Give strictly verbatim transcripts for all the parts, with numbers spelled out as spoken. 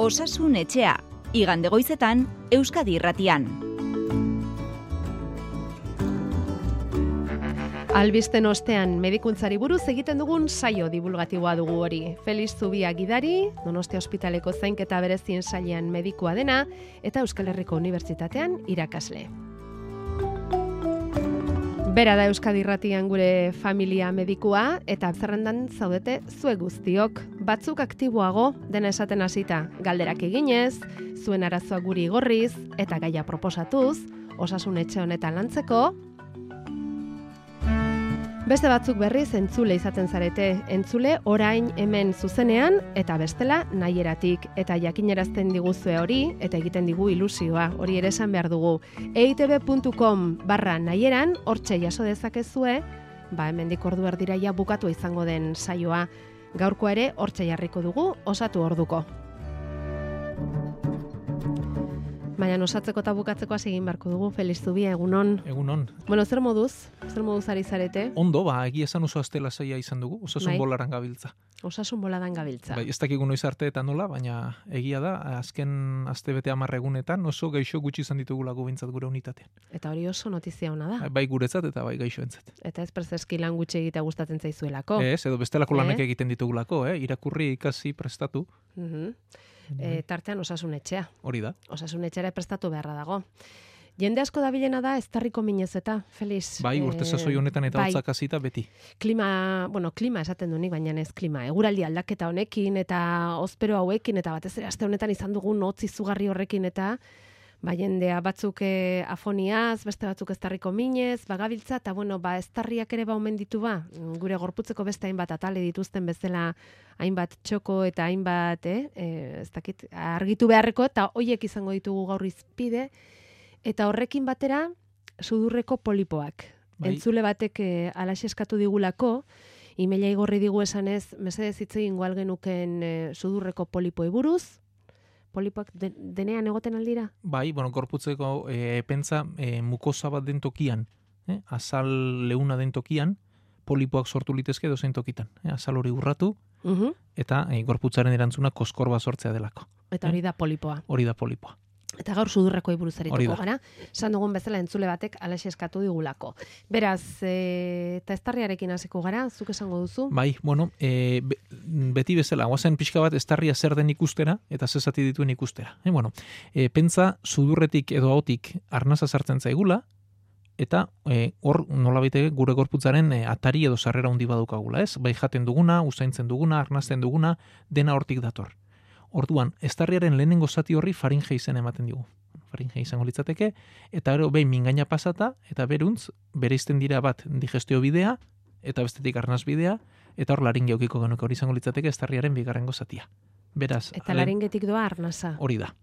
Osasun etxea, igande goizetan, Euskadi Irratian. Albisten ostean medikuntzari buruz egiten dugun saio divulgatiboa dugu hori. Felix Zubia gidari, Donostia Ospitaleko zainketa berezien sailean medikua dena, eta Euskal Herriko Unibertsitatean irakasle. Bera da Euskadi Irratian gure familia medikua, eta zerrendan zaudete zuek guztiok. Batzuk aktiboago, dena esaten hasita, galderak eginez, zuen arazoa guri igorriz, eta gaia proposatuz, osasun etxe honetan lantzeko. Beste batzuk berriz entzule izaten zarete, entzule orain hemen zuzenean eta bestela nahieratik, eta jakinerazten diguzue hori eta egiten digu ilusioa, hori ere esan behar dugu. eitb puntu com barra nahieran, hortxe jaso dezakezue, ba hemendik ordu erdiraia bukatu izango den saioa. Gaurkoa ere hortxe jarriko dugu, osatu orduko. Baina osatzeko eta bukatzeko hasi egin beharko dugu, Felix Zubia, egunon. Egunon. Bueno, zer moduz? Zer moduz ari zarete? Ondo, ba, egia esan oso astela saia izan dugu, osasun bai. bolaran gabiltza. Osasun boladan gabiltza. Bai, ez dakigu noiz arte eta nola, baina egia da, azken astebete hamar egunetan oso gaixo gutxi izan ditugulako behintzat gure unitatean. Eta hori oso notizia ona da. Bai guretzat eta bai gaixoentzat. Eta ez perzeski lan gutxi egitea gustatzen zaizuelako. Ez, edo bestelako lanak Eh? egiten ditugulako, eh? Irakurri, ikasi, prestatu. Mhm. E, tartean osasun etxea. Hori da. Osasun etxera prestatu beharra dago. Jende asko dabilena da eztarriko minez eta, Felix. Bai, urte sasoi honetan eta bai. hotzak hasita beti. Klima, bueno, klima esaten du nik, baina ez klima. Eguraldi aldaketa honekin eta ospero hauekin eta batez ere aste honetan izan dugun hotz izugarri horrekin eta ba jendea batzuk eh, afoniaz, beste batzuk eztarriko minez, bagabiltza eta bueno, ba eztarriak ere ba omen ditu ba, gure gorputzeko beste hainbat atale dituzten bezala hainbat txoko eta hainbat, eh, eh ez dakit, argitu beharreko eta hoiek izango ditugu gaur izpide eta horrekin batera sudurreko polipoak. Bai. Entzule batek eh, alaxe eskatu digulako, emaila igorri digu esanez, mesedez hitz egingo algenuken eh, sudurreko polipoi buruz. Polipoak de, denean egoten aldira? Bai, bueno, gorputzeko e, pentsa e, mukosa bat den tokian, eh? azal leuna den tokian, polipoak sortu litezke dozein tokitan. Eh? Azal hori urratu, Uh-huh. eta e, gorputzaren erantzuna koskorba sortzea delako. Eta hori da polipoa. Hori da polipoa. Eta gaur sudurrekoi buruz Hori arituko da. gara. Esan dugun bezala entzule batek alaxe eskatu digulako. Beraz, e, eta eztarriarekin hasiko gara, zuk esango duzu? Bai, bueno, e, be, beti bezala, guazen pixka bat eztarria zer den ikustera, eta zezati dituen ikustera. E, bueno, e, pentsa sudurretik edo ahotik arnaza sartzen zaigula, eta e, hor nolabait gure gorputzaren e, atari edo sarrera handi badukagula, ez? Bai jaten duguna, usaintzen duguna, arnazten duguna, dena hortik dator. Orduan, eztarriaren lehenengo zati horri faringe izen ematen digu. Faringe izango litzateke, eta gero behin mingaina pasata, eta beruntz, bereizten dira bat digestio bidea, eta bestetik arnaz bidea, eta hor laringe aukiko genuke hori izango litzateke eztarriaren bigarrengo zatia. Beraz, Eta lehen- laringetik doa arnasa. hori da.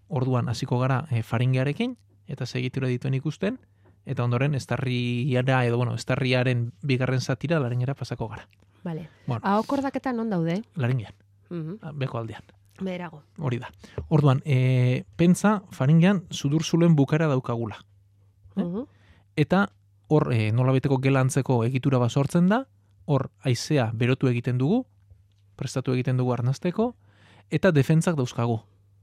Orduan, hasiko gara e, faringearekin, eta segitura dituen ikusten, eta ondoren eztarriara, edo bueno, eztarriaren bigarren zatira laringera pasako gara. Vale. Bueno. Ahokordak non daude? Laringean, Mhm. beko aldean. Beherago. Hori da. Orduan, e, pentsa faringean sudurzuloen bukara daukagula. Eh? Mhm. Eta hor e, nolabeteko gelantzeko egitura bat sortzen da, hor haizea berotu egiten dugu, prestatu egiten dugu arnazteko, eta defentzak dauzkagu.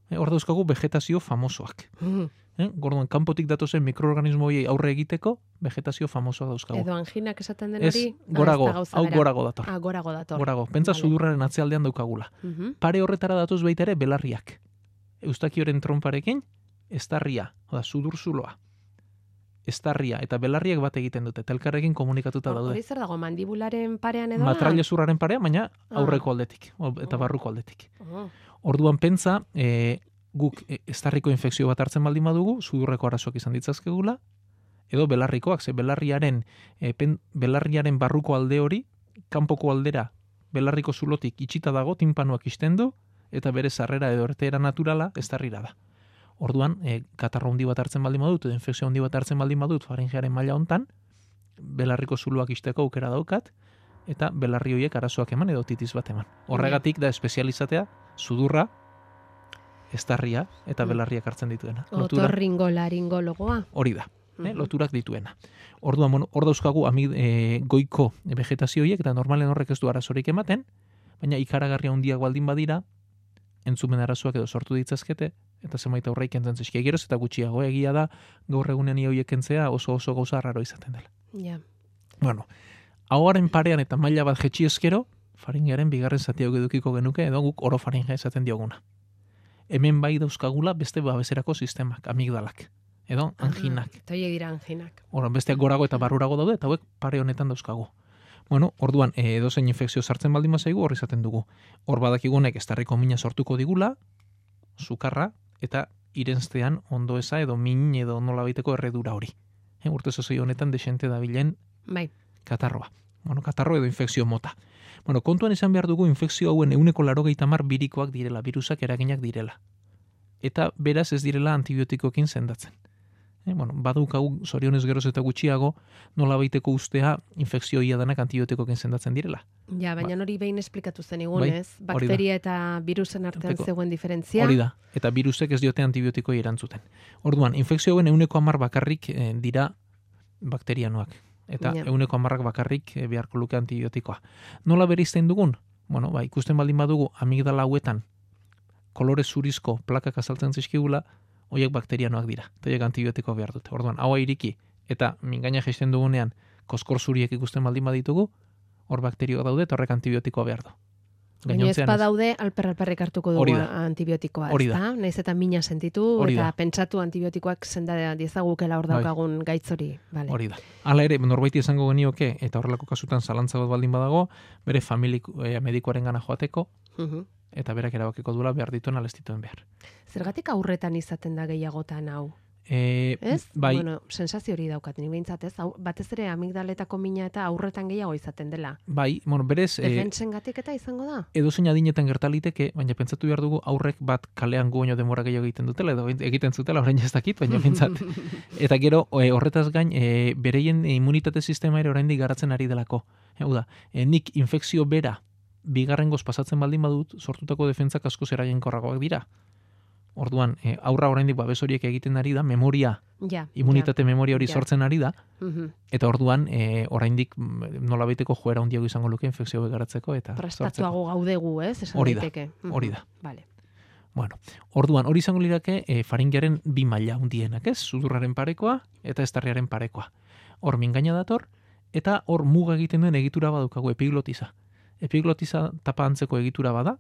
E, hor dauzkagu vegetazio famosoak. Mhm. Eh? Gorduan, kanpotik datozen mikroorganismo horiei aurre egiteko, vegetazio famosoa dauzkagu. Edo anginak esaten den Ez, hori? gorago, Ah, ez da gauza hau bera. gorago dator. Ah, gorago dator. Gorago, pentsa Vale. sudurraren atzealdean daukagula. Mhm. Pare horretara datoz baita ere belarriak. Eustakioren tromparekin, estarria, oda, sudurzuloa. Estarria eta belarriak bat egiten dute, eta elkarrekin komunikatuta Hor- daude. Hori zer dago, mandibularen parean edo? Matrailezurraren parea, baina Ah. aurreko aldetik, o- eta Oh. barruko aldetik. Oh. Orduan pentsa, e, guk e, estarriko infekzio bat hartzen baldin badugu, sudurreko arazoak izan ditzazkegula, edo belarrikoak, ze belarriaren, e, pen, belarriaren barruko alde hori, kanpoko aldera, belarriko zulotik itxita dago, tinpanuak isten du, eta bere sarrera edo ertera naturala estarrira da. Orduan, e, katarro handi bat hartzen baldin badut, edo infekzio handi bat hartzen baldin badut, faringearen maila hontan, belarriko zuloak isteko aukera daukat, eta belarri horiek arazoak eman edo otitis bat eman. Horregatik da espezializatea, sudurra, estarria eta belarriak hartzen dituena. Lotura- Otorringo laringologoa. Hori da, eh, Mhm. loturak dituena. Orduan, bueno, hor dauzkagu amid, e, goiko vegetazio horiek, eta normalen horrek ez du arazorik ematen, baina ikaragarria handiak baldin badira, entzumen arazoak edo sortu ditzazkete, eta zenbait aurre ikentzen zizkia geroz, eta gutxiago egia da, gaur egunean horiek kentzea oso oso gauza raro izaten dela. Ja. Bueno, ahoaren parean eta maila bat jetxi ezkero, faringearen bigarren zati edukiko genuke, edo guk orofaringe esaten dioguna. Hemen bai dauzkagula beste babeserako sistemak, amigdalak, edo anginak. Eta horiek dira anginak. Horan, besteak gorago eta barrurago daude, eta hauek pare honetan dauzkagu. Bueno, orduan, edo zein infekzio sartzen baldin bazaigu, hor izaten dugu. Hor badakigunek estarriko mina sortuko digula, sukarra, eta irenztean ondo eza edo min edo nola baiteko erredura hori. E, urte zozoi honetan desente dabilen bai. Katarroa. Bueno, katarro edo infekzio mota. Bueno, kontuan izan behar dugu infekzio hauen euneko larogeita hamar birikoak direla, virusak eraginak direla. Eta beraz ez direla antibiotikoekin sendatzen. E, bueno, badaukagu zorionez geroz eta gutxiago nola baiteko ustea infekzio iadanak antibiotikoekin sendatzen direla. Ja, baina Ba- hori behin esplikatu zen egun, Bai, ez? hori da. Bakteria eta virusen artean Arteko- zegoen diferentzia. Hori da, eta virusek ez diote antibiotikoei erantzuten. Orduan, infekzio hauen euneko hamar bakarrik eh, dira bakterianoak. Eta Ja. euneko hamarrak bakarrik eh, beharko luke antibiotikoa. Nola bereizten dugun? Bueno, ba, ikusten baldin badugu amigdala hauetan kolore zurizko plakak azaltzen zizkigula, horiek bakterianoak dira. Eta horiek antibiotikoa behar dute. Orduan, haua iriki eta mingaina jaisten dugunean koskor zuriek ikusten baldin baditugu, hor bakterioak daude eta horrek antibiotikoa behar du. Baina ez Gainontzean badaude alper-alperrik hartuko dugu Hori da. antibiotikoa, Hori ez da. da? Naiz eta mina sentitu Hori eta da. pentsatu antibiotikoak senda diezagukela hor Bai. daukagun gaitz hori. Vale. Hori da. Hala ere, norbaiti esango genioke, eta horrelako kasutan zalantza bat baldin badago, bere familik eh, medikuaren gana joateko, Mhm. eta berak erabakiko duela behar dituen ala ez dituen behar. Zergatik aurretan izaten da gehiagotan hau? E, Ez? bai, Bueno, sensazio hori daukat, ni behintzat, ez? Hau, batez ere amigdaletako mina eta aurretan gehiago izaten dela. bai, bueno, berez, e, Defentsengatik eta izango da? edozein adinetan gertaliteke, baina pentsatu behar dugu aurrek bat kalean gu baino denbora gehiago egiten dutela, edo egiten zutela, orain ez dakit, baina pentsat. Eta gero, e, horretaz gain, e, bereien immunitate sistema ere oraindik garatzen ari delako. Hau da, e, nik infekzio bera bigarrengoz pasatzen baldin badut, sortutako defentsak askoz eraginkorragoak dira. Orduan, e, aurra oraindik babes horiek egiten ari da, memoria, Ja. immunitate memoria hori Ja. sortzen ari da, Ja. Mhm. eta orduan, e, oraindik mm, nolabaiteko joera handiago izango luke infekzio garatzeko eta sortzeko. Prestatuago gaudegu, ez? Esan Hori da, daiteke. Mhm. hori da. Vale. Bueno, orduan, hori izango lirake e, faringearen bi maila hundienak, ez? Sudurraren parekoa eta estarriaren parekoa. Hor mingaina dator, eta hor muga egiten duen egitura badukagu epiglotiza. Epiglotiza tapa antzeko egitura bada,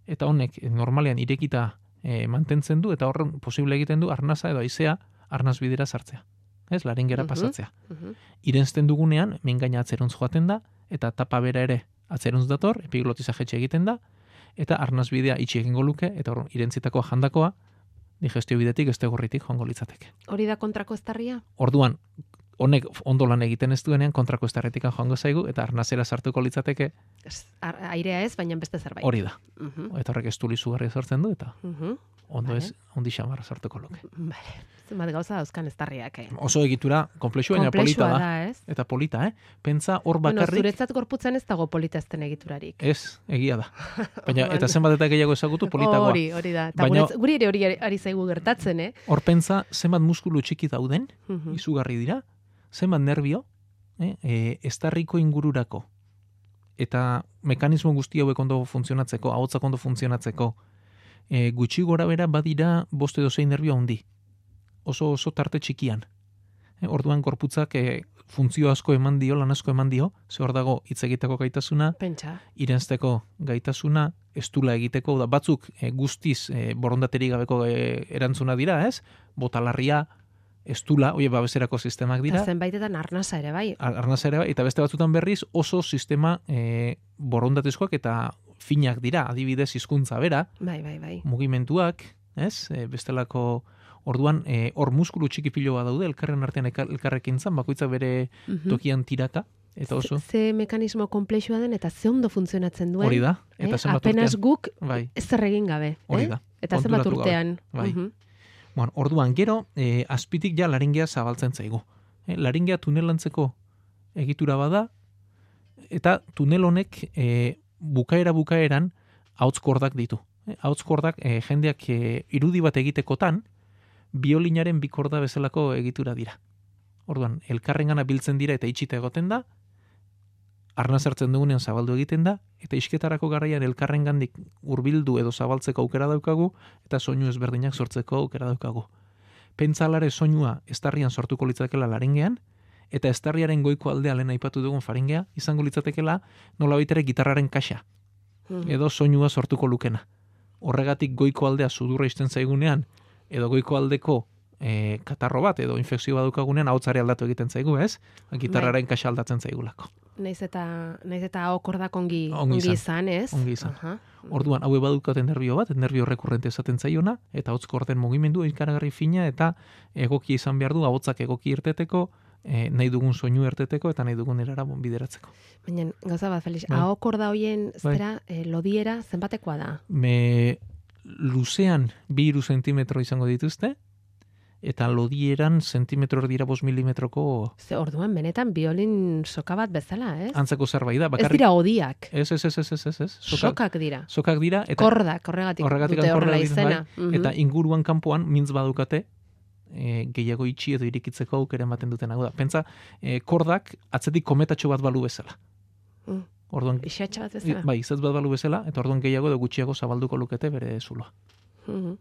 eta honek e, normalean irekita e, mantentzen du, eta horren posible egiten du arnaza edo haizea arnaz bidera sartzea. Ez, laringera Mhm. pasatzea. Mhm. Irensten dugunean, mingaina atzeruntz joaten da, eta tapa bera ere atzeruntz dator, epiglotiza jetxe egiten da, eta arnaz bidea itxi egingo luke, eta hor, irentzitako jandakoa, digestio bidetik este gorritik joango litzateke. Hori da kontrako estarria? Orduan, honek ondo lan egiten ez duenean, kontrako estarretikan joango zaigu, eta arnazera sartuko litzateke, Ez, ar- airea ez, baina beste zerbait. hori da. Mhm. Eta horrek estuli zugarria sortzen du, eta Mhm. ondo Vale. ez, ondi xamarra sartuko luke. Vale. Zenbat gauza dauzkan estarriak, eh? Oso egitura, komplexua, baina polita Komplexua da. da, ez? Eta polita, eh? Pentsa hor Bueno, bakarrik, zuretzat gorputzan ez dago politazten egiturarik. ez, egia da. Baina, Orduan. eta zenbat eta gehiago ezagutu politagoa. Hori, hori da. Eta Baina- guretz- guri ere hori ari zaigu gertatzen, eh? Hor pentsa, zenbat muskulu txiki dauden, Mhm. izugarri dira, zenbat nerbio, eh, e, estarriko ingururako, eta mekanismo guzti hauek ondo funtzionatzeko, ahotsak ondo funtzionatzeko, e, gutxi gora bera badira bost edo zein nerbio handi, oso oso tarte txikian. E, orduan gorputzak e, funtzio asko eman dio, lan asko eman dio, ze hor dago hitz egiteko gaitasuna, Pentsa. irensteko gaitasuna, estula egiteko, da batzuk e, guztiz e, borondaterik gabeko e, erantzuna dira, ez? Botalarria, estula, oie, babeserako sistemak dira. Eta zenbaitetan arnasa ere, bai. Ar- arnasa ere, bai, eta beste batzutan berriz oso sistema e, borondatezkoak eta finak dira, adibidez hizkuntza bera, Bai, bai, bai. mugimenduak, ez? E, bestelako orduan e, hor muskulu txiki pilo bat daude elkarren artean elkar- elkarrekintzan, bakoitza bere Mhm. tokian tiraka, eta oso Ze, ze mekanismo komplexua den eta ze ondo funtzionatzen duen. hori da, eta eh? zenbat Apenas urtean, guk bai, ezer egin gabe. hori eh? da. Eta zenbat konturatu gabe. urtean. Bai. Mhm. Bueno, orduan gero e, azpitik ja laringea zabaltzen zaigu. E, laringea tunelantzeko egitura bada, eta tunel honek e, bukaera bukaeran ahotskordak ditu. E, ahotskordak e, jendeak e, irudi bat egitekotan biolinaren bikorda bezalako egitura dira. Orduan, elkarrengana biltzen dira eta itxita egoten da, arnaz hartzen dugunean zabaldu egiten da, eta isketarako garaian elkarrengandik hurbildu edo zabaltzeko aukera daukagu, eta soinu ezberdinak sortzeko aukera daukagu. Pentsalare soinua estarrian sortuko litzakela laringean, eta estarriaren goiko aldea lehen aipatu dugun faringea, izango litzatekela nolabait ere gitarraren kaxa, edo soinua sortuko lukena. Horregatik goiko aldea sudurra izten zaigunean, edo goiko aldeko e, katarro bat, edo infekzio bat daukagunean, ahotsare aldatu egiten zaigu, ez? Gitarraren kaxa aldatzen zaigulako. Naiz eta naiz eta okordak ongi ongi ongi izan, izan, ez? Ongi izan. Aha. Orduan, haue badukaten nerbio bat, nerbio rekurrente esaten zaiona, eta hotz korden mugimendu ikaragarri fina, eta egoki izan behar du, ahotsak egoki irteteko, e, nahi dugun soinu irteteko, eta nahi dugun erara bideratzeko. Baina, gauza bat, Felix, Bai. ahokorda hoien, zera, eh, lodiera, zenbatekoa da? Me luzean bi hiru zentimetro izango dituzte, eta lodieran zentimetro erdira bost milimetroko Ze orduan, benetan, biolin soka bat bezala, ez? antzeko zerbait da. Ez Bakarrik, dira odiak, ez, ez, ez, ez, ez, ez, ez. Sokak, sokak dira. sokak dira, eta Kordak, horregatik, horregatik dute horrela kordak dira, izena. Mhm. eta inguruan kanpoan mintz badukate, e, gehiago itxi edo irikitzeko aukera ematen duten hau da. Pentsa, e, kordak atzetik kometatxo bat balu bezala. Mm. Orduan, Isatxa bat bezala. bai, izatz bat balu bezala, eta orduan gehiago edo gutxiago zabalduko lukete bere zuloa. Mhm.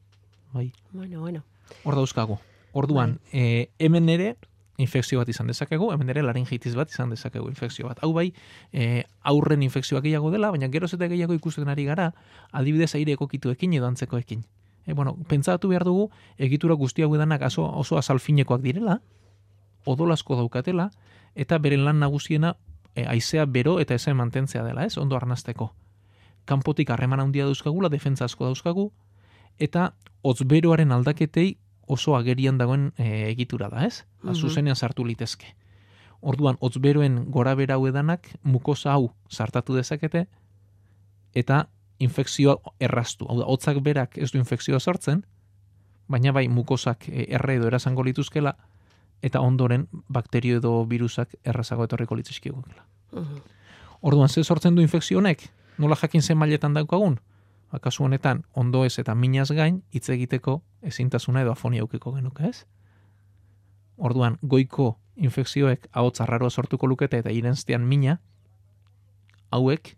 Bai, Bueno, bueno. hor dauzkagu. Orduan, e, hemen ere infekzio bat izan dezakegu, hemen ere laringitis bat izan dezakegu infekzio bat. Hau bai, e, aurren infekzioak gehiago dela, baina geroz eta gehiago ikusten ari gara, adibidez aire ekokituekin edo antzekoekin. E, bueno, pentsatu behar dugu, egitura guzti hau edanak oso, oso azalfinekoak direla, odolasko daukatela, eta beren lan nagusiena e, haizea bero eta ezen mantentzea dela, ez? Ondo arnasteko. Kanpotik harreman handia dauzkagula, defentsa asko dauzkagu, eta hotzberoaren aldaketei oso agerian dagoen e, egitura da, ez? Ba, Mhm. zuzenean sartu litezke. Orduan, hotzberoen gora bera hau edanak mukosa hau sartatu dezakete, eta infekzioa erraztu. Hau da, hotzak berak ez du infekzioa sortzen, baina bai mukosak e, erre edo erasango lituzkela, eta ondoren bakterio edo virusak errazago etorriko litzizkigukela. Mhm. Orduan, ze sortzen du infekzio honek? Nola jakin zen mailetan daukagun? Ba, kasu honetan, ondo ez eta minaz gain, hitz egiteko ezintasuna edo afonia eukiko genuke, ez? Orduan, goiko infekzioek ahotz arraroa sortuko lukete eta irenztean mina, hauek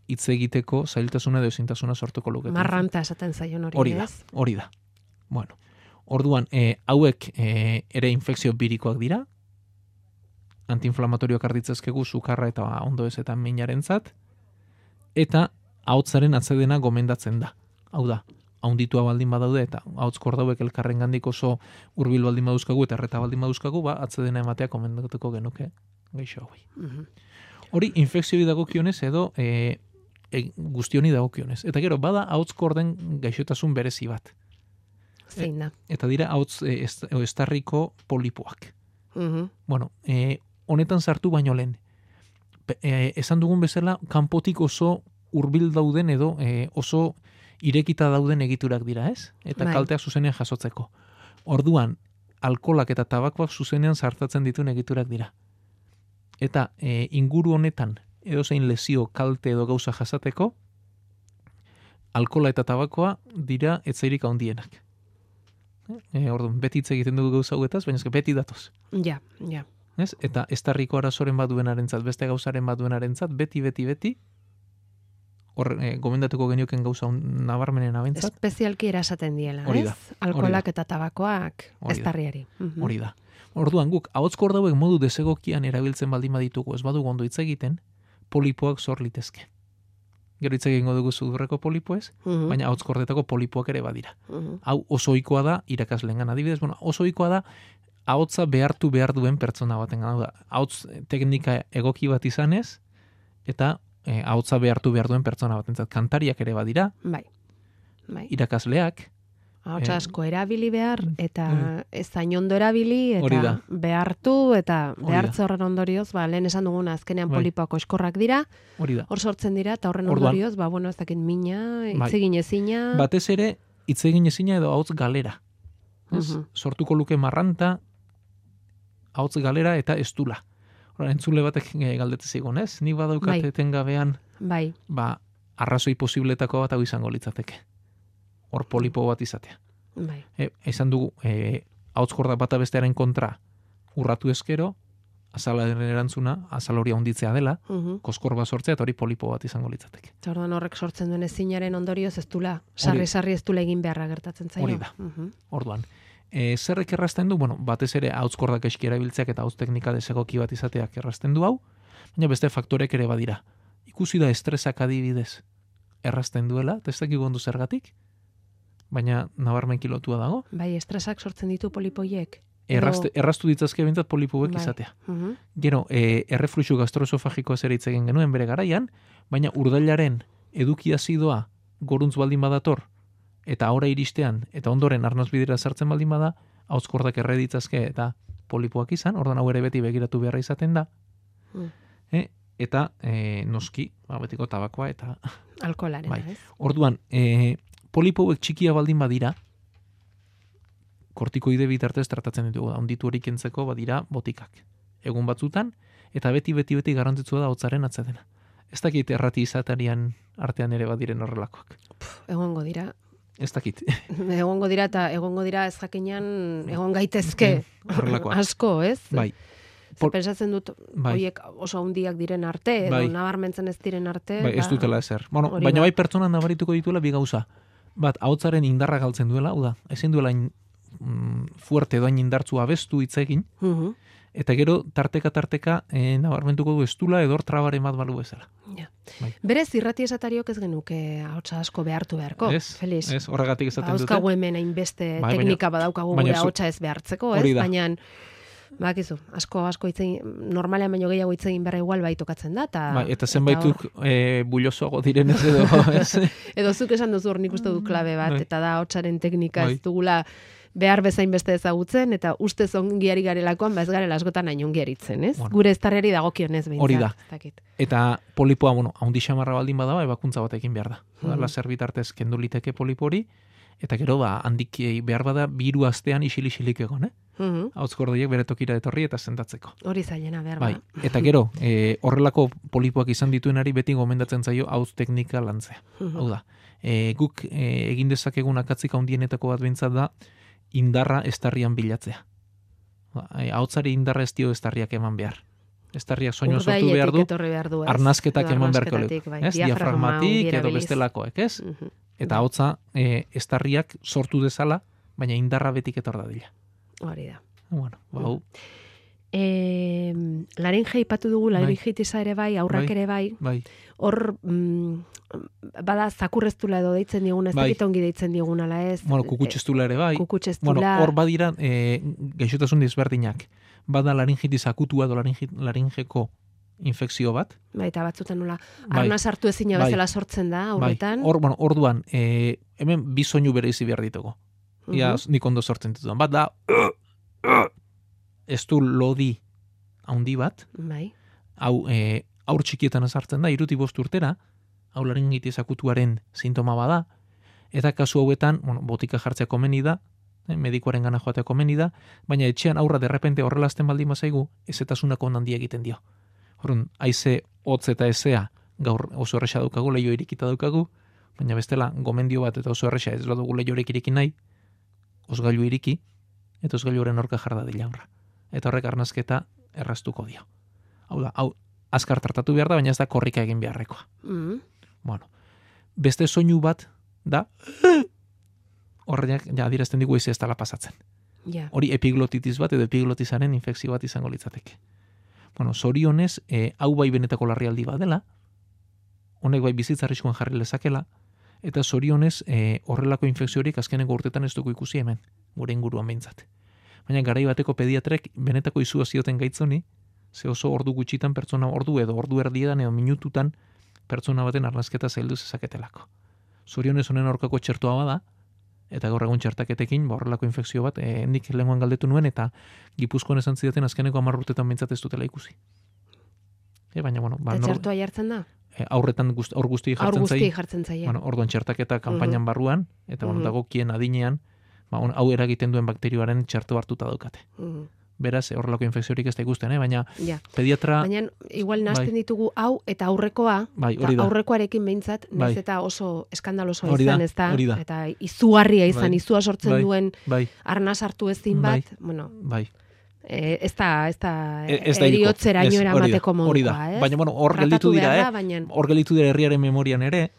hitz egiteko zailtasuna edo ezintasuna sortuko lukete. Marranta esaten zaion hori, Hori da, ez? hori da. Bueno, orduan, e, hauek e, ere infekzio birikoak dira, antiinflamatorioak arditzezkegu sukarra eta ondo ez eta minarentzat, eta ahotzaren atzedena gomendatzen da. Hau da, haunditua baldin badaude eta ahotz kordauek elkarrengandik oso hurbil baldin baduzkagu eta erreta baldin baduzkagu, ba, atzedena ematea gomendatuko genuke gaixo hauei. Mhm. Hori infekzioi dagokionez edo e, e, guztioni dagokionez. Eta gero, bada ahotz korden gaixotasun berezi bat. Zein da. Eta dira ahotz e, est, edo estarriko polipoak. Mhm. Bueno, e, honetan sartu baino lehen. Pe- E, esan dugun bezala, kanpotik oso hurbil dauden edo e, oso irekita dauden egiturak dira, ez? Eta Bai. kalteak zuzenean jasotzeko. Orduan, alkolak eta tabakoak zuzenean sartatzen dituen egiturak dira. Eta e, inguru honetan, edozein lesio, kalte edo gauza jasateko, alkola eta tabakoa dira etzairik handienak. E, orduan, beti hitz egiten dugu gauza hauetaz, baina eske beti datoz. Ja, ja. Ez? Eta estarriko arazoren bat duenarentzat, beste gauzaren bat duenarentzat, beti, beti, beti, hor, e, gomendatuko genioken gauza un- nabarmenen abentzat, Espezialki erasaten diela, Hori ez? da, Alkolak eta tabakoak Hori da. eztarriari. Mhm. hori da. Orduan guk, ahotskor dauek modu desegokian erabiltzen baldin baditugu, ez badugu ondo hitz egiten, polipoak sor litezke. Gero hitz egingo dugu sudurreko polipoez, Mhm. baina ahotskordetako polipoak ere badira. Mhm. Hau oso ohikoa da irakaslengan adibidez, bueno, oso ohikoa da ahotsa behartu behar duen pertsona baten, hau da, ahots teknika egoki bat izanez, eta e, ahotsa behartu behar duen pertsona batentzat. Kantariak ere badira, Bai. Bai. irakasleak, Ahotsa eh, asko erabili behar, eta mm. ez zain ondo erabili, Hori eta da. behartu, eta Hori da. behartze horren ondorioz, ba, lehen esan duguna azkenean Bai. polipoak oskorrak dira, hori da. hor sortzen dira, eta horren Orduan- ondorioz, ba, bueno, ez dakit mina, Bai. hitz egin ezina. Batez ere, hitz egin ezina edo ahots galera. Ez? Mhm. Sortuko luke marranta, ahots galera eta estula. Hora, entzule batek e, galdete zigun, ez? Nik badaukat Bai. etengabean, Bai, ba, arrazoi posibletako bat hau izango litzateke. Hor polipo bat izatea. bai. E, esan dugu, e, ahots korda bata bestearen kontra urratu ezkero, azalaren erantzuna, azal hori handitzea dela, Mhm. koskor bat sortzea, eta hori polipo bat izango litzateke. Eta orduan horrek sortzen duen ezinaren ondorioz ez dula, sarri-sarri ez dula egin beharra gertatzen zaio. Hori da. Mhm. Orduan, e, zerrek errazten du, bueno, batez ere hautzkordak eski erabiltzeak eta hautz teknika desegoki bat izateak errazten du hau, baina beste faktorek ere badira. Ikusi da estresak adibidez errazten duela, eta ez dakik ondo zergatik, baina nabarmenki lotua dago. Bai, estresak sortzen ditu polipoiek. Errazte, erraztu ditzazke bintzat polipoek Bai. izatea. Mhm. Gero, e, errefluxu gastroesofagikoa zer hitz egin genuen bere garaian, baina urdailaren eduki azidoa goruntz baldin badator, eta ahora iristean, eta ondoren arnazbidera sartzen baldin bada, hauzkordak erre ditzazke eta polipoak izan, ordan hau ere beti begiratu beharra izaten da, Mm. e, eta e, noski, ba, betiko tabakoa, eta Alkoholaren, Bai. ez? orduan, e, polipoek txikia baldin badira, kortikoide bitartez tratatzen ditugu da, onditu hori kentzeko badira botikak. Egun batzutan, eta beti, beti, beti garrantzitsua da hotzaren atzedena. Ez dakit errati izatarian artean ere badiren horrelakoak. Egongo dira. Ez dakit. Egongo dira eta egongo dira ez jakinan egon gaitezke Horrelakoak. asko, ez? Bai. Ze Por- pentsatzen dut Bai. horiek oso handiak diren arte, edo Bai. nabarmentzen ez diren arte. Bai, ez ba, dutela ezer. Bueno, hori baina da. bai pertsona nabarituko dituela bi gauza. Bat, ahotsaren indarra galtzen duela, hau da, ezin duela in, mm, fuerte doain indartzu abestu hitz egin, Mhm. eta gero tarteka tarteka e, nabarmentuko du estula edor trabaren bat balu bezala. Ja. Bai. Berez irrati esatariok ez genuke ahotsa asko behartu beharko, Ez, Feliz. ez, horregatik esaten dute. Dauzkagu hemen hainbeste Bai, baina- teknika badaukagu baina gure zu- ahotsa ez behartzeko, ez? Hori da. Baina bakizu, asko asko hitz egin, normalean baino gehiago hitz egin berra igual bai tokatzen da eta Bai, eta zenbaituk e, bullosoago direnez edo, ez? edo zuk esan duzu hor nik uste dut klabe bat, Bai. eta da ahotsaren teknika Bai. ez dugula behar bezain beste ezagutzen, eta ustez ongiari garelakoan, ba ez garela askotan hain ongiaritzen, ez? Bueno. Gure estarreri dagokionez behintzat. Hori da. ez dakit. Eta polipoa, bueno, haundi xamarra baldin bada, ebakuntza batekin behar da. Mhm. Mm. Lazer bitartez kendu liteke polipori, eta gero, ba, handik behar bada, biru astean isil-isilik egon, eh? Mhm. Hautzkordoiek bere tokira etorri eta sendatzeko. Hori zailena behar Bai, ba. eta gero, e, horrelako polipoak izan dituenari beti gomendatzen zaio hauz teknika lantzea. Mhm. Hau da, e, guk e, egin dezakegun akatzik handienetako bat behintzat da, indarra estarrian bilatzea. Ba, e, Ahotsari indarra ez dio estarriak eman behar. Estarriak soinua sortu Urdailetik behar du, etorri behar du, ez? arnazketak Edo eman beharko arnazketatik, leku. bai, Ez? diafragma Diafragmatik ongi edo erabiliz. bestelakoek, ez? Mhm. Eta hotza e, estarriak sortu dezala, baina indarra betik etor dadila. Hori da. Bueno, ba, hau, E, laringe ipatu dugu, laringitisa ere bai, aurrak Bai. ere bai, bai, hor mm, bada zakurreztula edo deitzen diguna, ez Bai. dakit ongi deitzen digun ala ez. bueno, kukutxestula ere bai. Kukutxestula. Bueno, hor badira e, gaixotasun desberdinak. Bada laringitis akutua edo laringi- laringeko infekzio bat. Bai, eta batzutan nola, Bai. arna sartu ezina Bai. bezala sortzen da, Bai, aurretan. hor, bueno, orduan, e, hemen bi soinu bereizi behar ditugu. Ia, Mhm. nik ondo sortzen ditudan. Bat da, ez du lodi handi bat, Bai. hau e, aur txikietan ezartzen da, iruti bost urtera, hau laringitis akutuaren sintoma bada, eta kasu hauetan, bueno, botika jartzea komeni da, eh, medikuaren gana joatea komeni da, baina etxean aurra derrepente horrelazten baldin bazaigu, ezetasunak ondan egiten dio. Horren, haize hotz eta ezea gaur oso erresa daukagu, leio irikita daukagu, baina bestela gomendio bat eta oso erresa ez dugu leiorek iriki nahi, osgailu iriki, eta osgailuaren orka jarda dila aurra. Eta horrek arnazketa erraztuko dio. Hau da, hau, azkar tratatu behar da, baina ez da korrika egin beharrekoa. Mhm. Bueno, beste soinu bat da, horreak ja adierazten digu ez dela pasatzen. Ja. Hori epiglotitis bat edo epiglotisaren infekzio bat izango litzateke. Bueno, zorionez, e, hau bai benetako larrialdi bat dela, honek bai bizitza arriskuan jarri lezakela, eta zorionez e, horrelako infekziorik azkeneko urtetan ez dugu ikusi hemen, gure inguruan behintzat. Baina garai bateko pediatrek benetako izua zioten gaitzoni, ze oso ordu gutxitan pertsona ordu edo ordu erdiedan edo minututan pertsona baten arnazketa zaildu zezaketelako. Zorionez honen aurkako txertoa bada, eta gaur egun txertaketekin, ba, horrelako infekzio bat, e, nik lenguan galdetu nuen, eta Gipuzkoan esan zidaten azkeneko hamar urtetan behintzat ez dutela ikusi. E, baina, bueno, ba, Eta nor- txertoa jartzen da? e, aurretan guzti, aur guzti Aur jartzen guzti zai, jartzen zaie. bueno, orduan txertaketa kanpainan barruan, eta bueno, Mhm. dagokien adinean, ba, on- hau eragiten duen bakterioaren txerto hartuta daukate. Mhm. Beraz, horrelako infekziorik ez da ikusten, eh? baina Ja. pediatra, Baina igual nahasten Bai. ditugu hau eta aurrekoa, bai, eta hori da, aurrekoarekin behintzat, Bai. naiz eta oso eskandalosoa Hori da, izan, ez da? hori da. Eta izugarria izan, Bai. izua sortzen Bai. duen bai, arna sartu ezin Bai. bat, bueno, bai. E, ez da, ez da, Ez da hilko. eriotzeraino Ez, hori da, eramateko hori da. modukoa, ez? Baina, bueno, hor Tratatu gelditu dira, behar da, eh? baina- Hor gelditu dira herriaren memorian ere,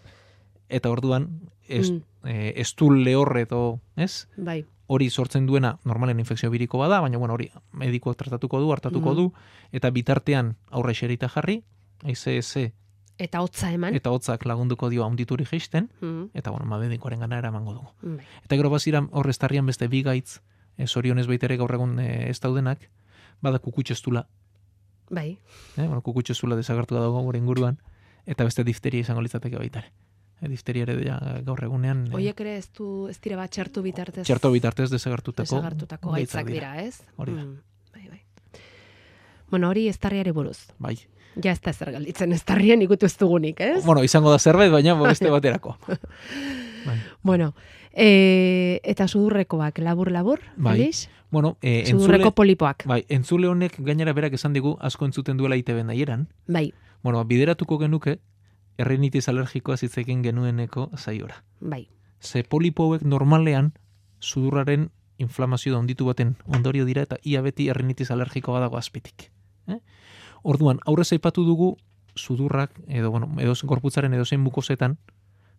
eta orduan, ez, Mm. eh, estul lehorre edo, ez? Bai. Hori sortzen duena normalen infekzio biriko bada, baina bueno, hori medikoak tratatuko du, hartatuko Mhm. du, eta bitartean aurre xerita jarri, aize eze, Eta hotza eman. eta hotzak lagunduko dio haundituri jeisten, Mm, eta bueno, medikoaren gana eramango dugu. bai. Eta gero bazira hor estarrian beste bi gaitz, e, zorionez baitere gaur egun e, ez daudenak, bada kukutxestula, Bai. eh? bueno, kukutxestula desagertu da dago gure inguruan, eta beste difteria izango litzateke baitare. E, difteria ere ja, gaur egunean e, Oiek ere ez du ez dira bat txertu bitartez. txerto bitartez desagertutako, desagertutako gaitzak dira, ez? Hori da. Mm, bai, bai. Bueno, hori estarriari buruz. Bai. Ja ez da zer galditzen estarrien ikutu ez dugunik, ez? Bueno, izango da zerbait, baina beste baterako. Bai. Bueno, e, eta sudurrekoak labur-labur, Bai. Felix? Bueno, e, Sudurreko entzule, polipoak. bai, entzule honek gainera berak esan digu asko entzuten duela I T B nahieran. Bai, Bueno, bideratuko genuke errinitis alergikoa zitzekin genueneko zaiora. bai. Ze polipo hauek normalean sudurraren inflamazio da onditu baten ondorio dira eta ia beti errinitis alergikoa badago azpitik. Eh? Orduan, aurrez aipatu dugu sudurrak edo bueno, edo gorputzaren edozein mukosetan,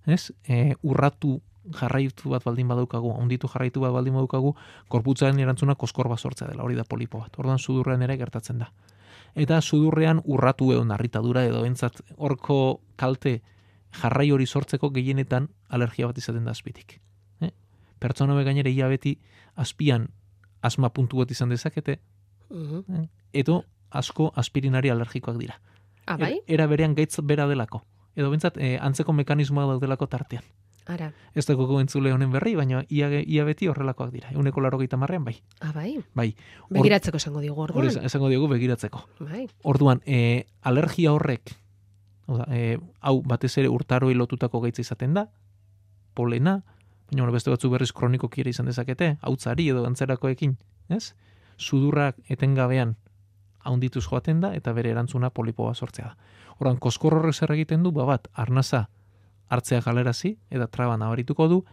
ez? E, urratu jarraitu bat baldin badaukagu, onditu jarraitu bat baldin badaukagu, gorputzaren erantzuna koskor bat sortzea dela, hori da polipo bat. Orduan sudurrean ere gertatzen da. Eta sudurrean urratu edo narritadura edo entzat horko kalte jarrai hori sortzeko gehienetan alergia bat izaten da azpitik. Eh? Pertsona hauek gainera ia beti azpian asma puntu bat izan dezakete, Mhm. eh? edo asko aspirinari alergikoak dira. Ah, bai? Er- Era berean gaitz bera delako. Edo bentsat, eh, antzeko mekanismoa daudelako tartean. Ara. Ez dago entzule honen berri, baina ia, ia beti horrelakoak dira. Euneko laurogeita hamarrean bai. Ah, bai? Bai. Hor- Begiratzeko esango digu Hori orduan. esan- esango diogu begiratzeko. Bai. Orduan, e, alergia horrek, hau da, e, hau batez ere urtaroi lotutako gaitza izaten da, polena, baina bueno, beste batzu berriz kronikoki ere izan dezakete, hautzari edo antzerakoekin, ez? Sudurrak etengabean haundituz joaten da, eta bere erantzuna polipoa sortzea da. Orduan, koskor horrek zer egiten du, ba bat, arnaza hartzea galerazi, eta traba nabarituko du,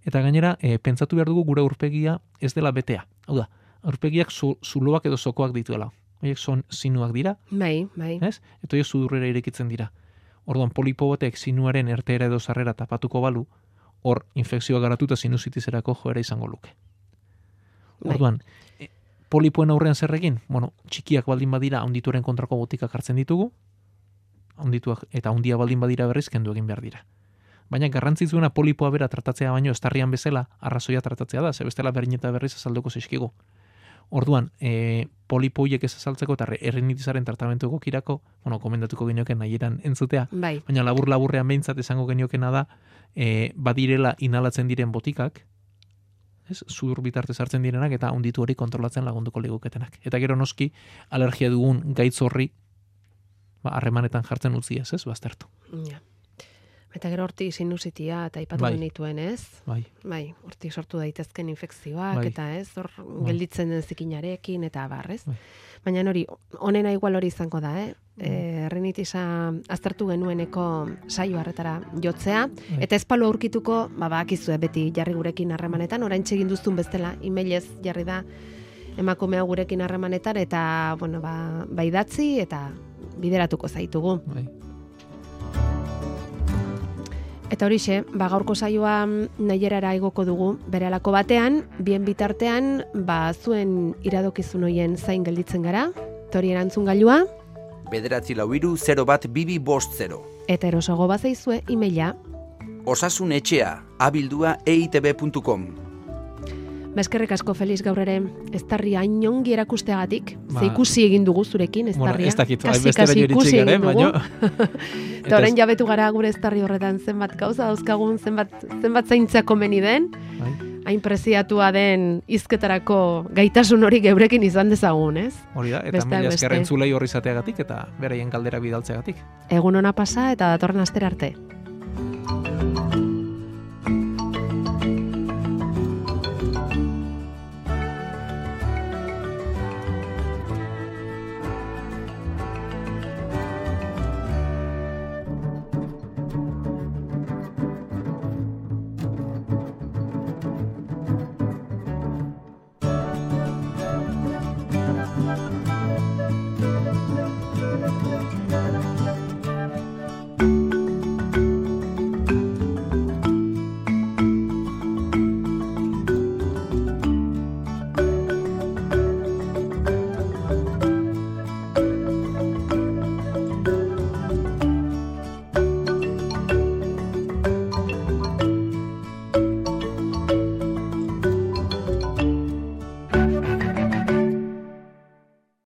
eta gainera, e, pentsatu behar dugu gure aurpegia ez dela betea. Hau da, aurpegiak zu, zuloak edo zokoak dituela. Horiek son sinuak dira, Bai, bai. ez? Eta horiek sudurrera irekitzen dira. Orduan, polipo batek sinuaren ertera edo sarrera tapatuko balu, hor infekzioa garatuta sinusitizerako joera izango luke. Bai. Orduan, e, polipoen aurrean zer egin? Bueno, txikiak baldin badira, ondituaren kontrako botikak hartzen ditugu, ondituak eta ondia baldin badira berriz kendu egin behar dira. Baina garrantzitsuena polipoa bera tratatzea baino estarrian bezala arrazoia tratatzea da, ze bestela berin eta berriz azalduko zaizkigu. Orduan, e, polipo hiek ez azaltzeko eta errinitisaren tratamentu egokirako, bueno, komendatuko genioken nahieran entzutea, Bai. baina labur-laburrean behintzat esango geniokena da, e, badirela inhalatzen diren botikak, ez, sudur bitartez hartzen direnak eta onditu hori kontrolatzen lagunduko liguketenak. Eta gero noski, alergia dugun gaitz horri, ba, harremanetan jartzen utzi ez, ez, baztertu. Ja. Eta gero hortik sinusitia eta aipatu Bai. genituen, ez? Bai, Bai, hortik sortu daitezken infekzioak, Bai. eta ez, hor Bai. gelditzen den zikinarekin, eta barrez. Bai. Baina hori, onena igual hori izango da, eh? E, errinitisa aztertu genueneko saio harretara jotzea, Bai. eta ezpalu aurkituko, ba, bakizue beti jarri gurekin harremanetan, orain egin duztun bestela, emailez jarri da emakumea gurekin harremanetan, eta, bueno, ba, ba idatzi, eta bideratuko zaitugu. bai. Eta horixe, ba gaurko saioa nahierara igoko dugu berehalako batean, bien bitartean, ba zuen iradokizun hoien zain gelditzen gara, tori erantzun gailua, Bederatzi lau hiru zero bat bibi bost zero. eta erosago bazaizue emaila. Osasun etxea, abildua eitb puntu com. Eskerrik asko Felix gaur ere, estarria hain ongi erakusteagatik, Ba- ze ikusi egin dugu zurekin, Bueno, estarria. ez dakit, Kasi, hainbestera kasi iritsi ikusi garen, egin dugu. baina... Eta orain jabetu gara gure estarri horretan zenbat gauza dauzkagun, zenbat, zenbat zaintzea komeni den, Bai, hain preziatua den hizketarako gaitasun hori geurekin izan dezagun, ez? hori da, eta Besteak mila beste. esker entzulei horri izateagatik eta beraien galdera bidaltzeagatik. Egun ona pasa eta datorren astera arte.